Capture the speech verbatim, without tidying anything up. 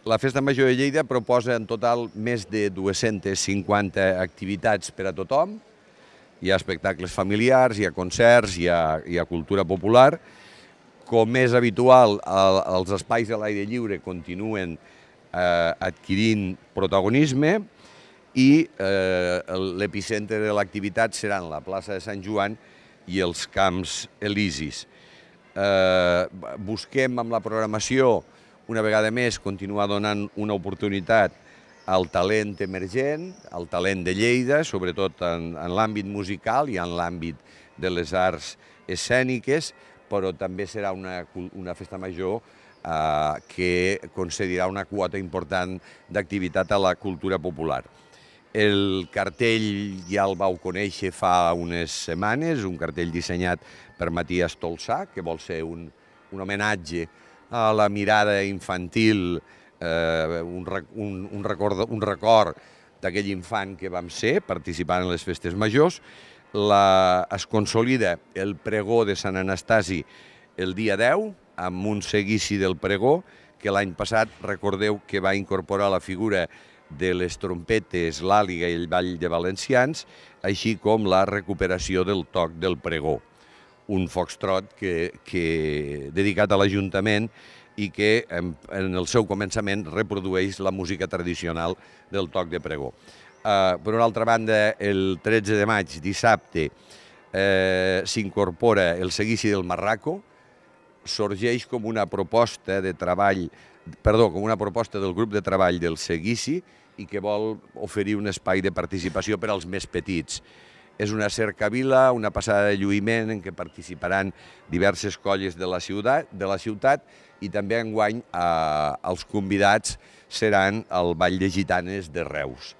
La Festa Major de Lleida proposa en total més de dues-centes cinquanta activitats per a tothom. Hi ha espectacles familiars, hi ha concerts, hi ha, hi ha cultura popular. Com és habitual, el, els espais a l'aire lliure continuen eh, adquirint protagonisme i eh, l'epicentre de l'activitat seran la plaça de Sant Joan i els Camps Elisis. Eh, busquem amb la programació, una vegada més, continuar donant una oportunitat al talent emergent, al talent de Lleida, sobretot en, en l'àmbit musical i en l'àmbit de les arts escèniques, però també serà una, una festa major eh, que concedirà una quota important d'activitat a la cultura popular. El cartell ja el vau conèixer fa unes setmanes, un cartell dissenyat per Matías Tolsà, que vol ser un, un homenatge a la mirada infantil, eh, un, un, un record, un record d'aquell infant que vam ser participant en les festes majors. La, es consolida el pregó de Sant Anastasi el dia deu, amb un seguici del pregó, que l'any passat, recordeu que va incorporar la figura de les trompetes, l'àliga i el ball de valencians, així com la recuperació del toc del pregó. Un foxtrot que, que, dedicat a l'Ajuntament i que en, en el seu començament reprodueix la música tradicional del toc de pregó. Uh, per una altra banda, el tretze de maig, dissabte, eh, s'incorpora el seguici del Marraco, sorgeix com una proposta de treball, perdó, com una proposta del grup de treball del seguici i que vol oferir un espai de participació per als més petits. És una cercavila, una passada de lluïment en què participaran diverses colles de la ciutat, de la ciutat i també enguany eh, els convidats seran el Ball de Gitanes de Reus.